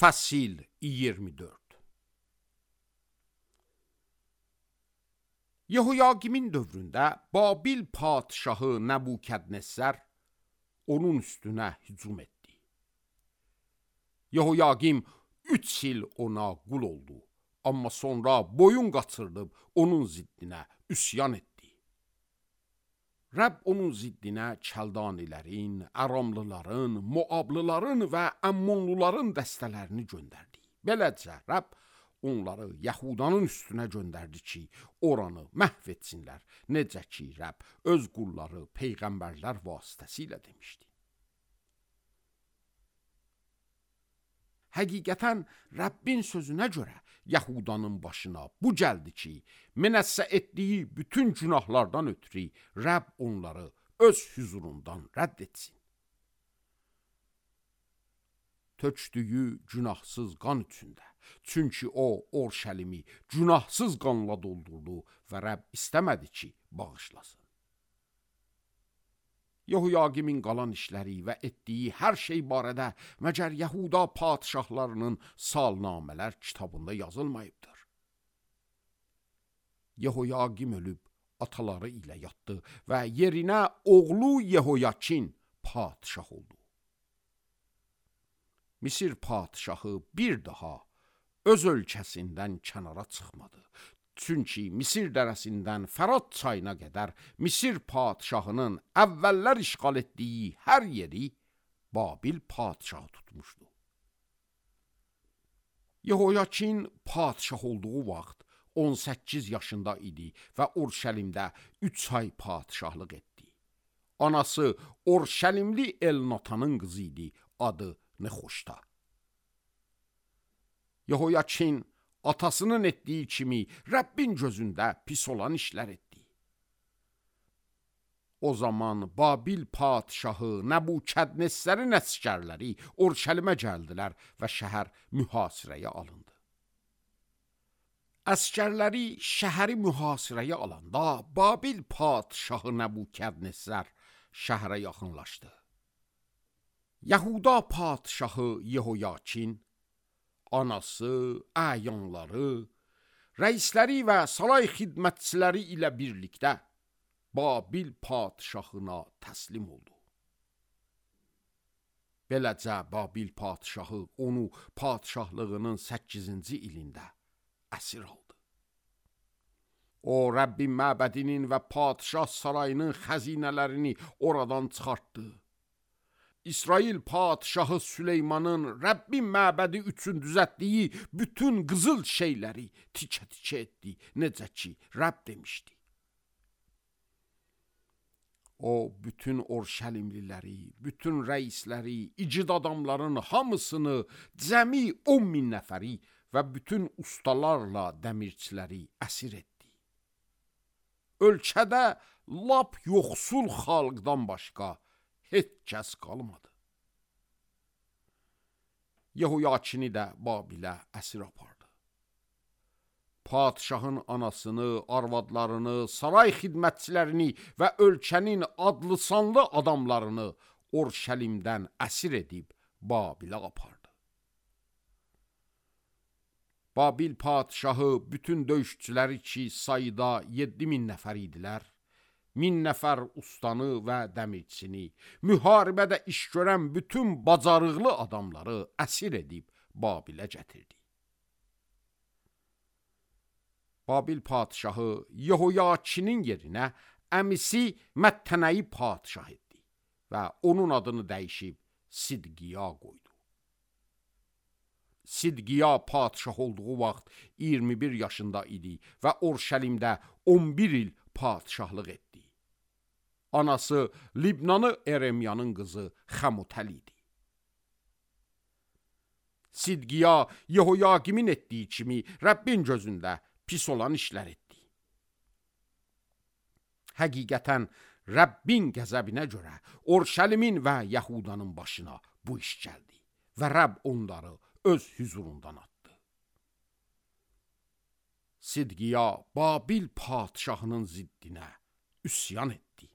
Fəsil 24. Yehoyakimin dövründə Babil padşahı Nəbukədnəzzar onun üstünə hücum etdi. Yehoyakim 3 il ona qul oldu, amma sonra boyun qaçırıb onun ziddinə üsyan etdi. Rəbb onun ziddinə Kəldanilərin, Aramlıların, Moablıların və Əmmonluların dəstələrini göndərdi. Beləcə Rəbb onları Yahudanın üstünə göndərdi ki, oranı məhv etsinlər, necə ki Rəbb öz qulları peyğəmbərlər vasitəsilə demişdi. Həqiqətən Rəbbin sözünə görə Yahudanın başına bu gəldi ki, Menəssə etdiyi bütün günahlardan ötürü Rəbb onları öz hüzurundan rədd etsin. Tökdüyü günahsız qan içində, çünki o Orşəlimi günahsız qanla doldurdu və Rəbb istəmədi ki, bağışlasın. Yehoyakimin qalan işləri və etdiyi hər şey barədə məgər Yahuda padşahlarının salnamələr kitabında yazılmayıbdır. Yehoyakim ölüb ataları ilə yatdı və yerinə oğlu Yehoyakin padşah oldu. Misir padşahı bir daha öz ölkəsindən kənara çıxmadı. Çünki Misir dərəsindən Fərat çayına qədər Misir padşahının əvvəllər işğal etdiyi hər yeri Babil padşahı tutmuşdu. Yehoyakin padşah olduğu vaxt 18 yaşında idi və Orşəlimdə 3 ay padşahlıq etdi. Anası Orşəlimli Elnatanın qızı idi, adı Nexoşta. Yehoyakin atasının etdiyi kimi Rəbbin gözündə pis olan işlər etdi. O zaman Babil padşahı Nəbukədnəzzərin əsgərləri Orşəlimə gəldilər və şəhər mühasirəyə alındı. Əsgərləri şəhəri mühasirəyə alanda Babil padşahı Nəbukədnəzzər şəhərə yaxınlaşdı. Yahuda padşahı Yehoyakin, anası, əyanları, rəisləri və saray xidmətçiləri ilə birlikdə Babil padşahına təslim oldu. Beləcə Babil padşahı onu padşahlığının 8-ci ilində əsir aldı. O, Rəbbin məbədinin və padşah sarayının xəzinələrini oradan çıxartdı. İsrail padşahı Süleymanın Rəbbin məbədi üçün düzətdiyi bütün qızıl şeyləri tikə-tikə etdi, necə ki Rəbb demişdi. O, bütün Orşəlimliləri, bütün rəisləri, igid adamların hamısını, cəmi 10.000 nəfəri və bütün ustalarla dəmirçiləri əsir etdi. Ölkədə lap yoxsul xalqdan başqa heç kəs qalmadı. Yehoyakini də Babilə əsir apardı. Padşahın anasını, arvadlarını, saray xidmətçilərini və ölkənin adlı sanlı adamlarını Orşəlimdən əsir edib Babilə apardı. Babil padşahı bütün döyüşçüləri ki sayıda 7.000 nəfər idilər, 1000 nəfər ustanı və dəmirçini, müharibədə iş görən bütün bacarıqlı adamları əsir edib Babilə gətirdi. Babil padşahı Yehoyakinin yerinə əmisi Məttənəyi padşah etdi və onun adını dəyişib Sidqiya qoydu. Sidqiya padşah olduğu vaxt 21 yaşında idi və Orşəlimdə 11 il padşahlıq etdi. Anası Libnanı Eremyanın qızı Xəmutəl idi. Sidqiya Yehoyakimin etdiyi kimi Rəbbin gözündə pis olan işlər etdi. Həqiqətən Rəbbin qəzəbinə görə Orşəlimin və Yahudanın başına bu iş gəldi və Rəbb onları öz hüzurundan atdı. Sidqiya Babil padşahının ziddinə üsyan etdi.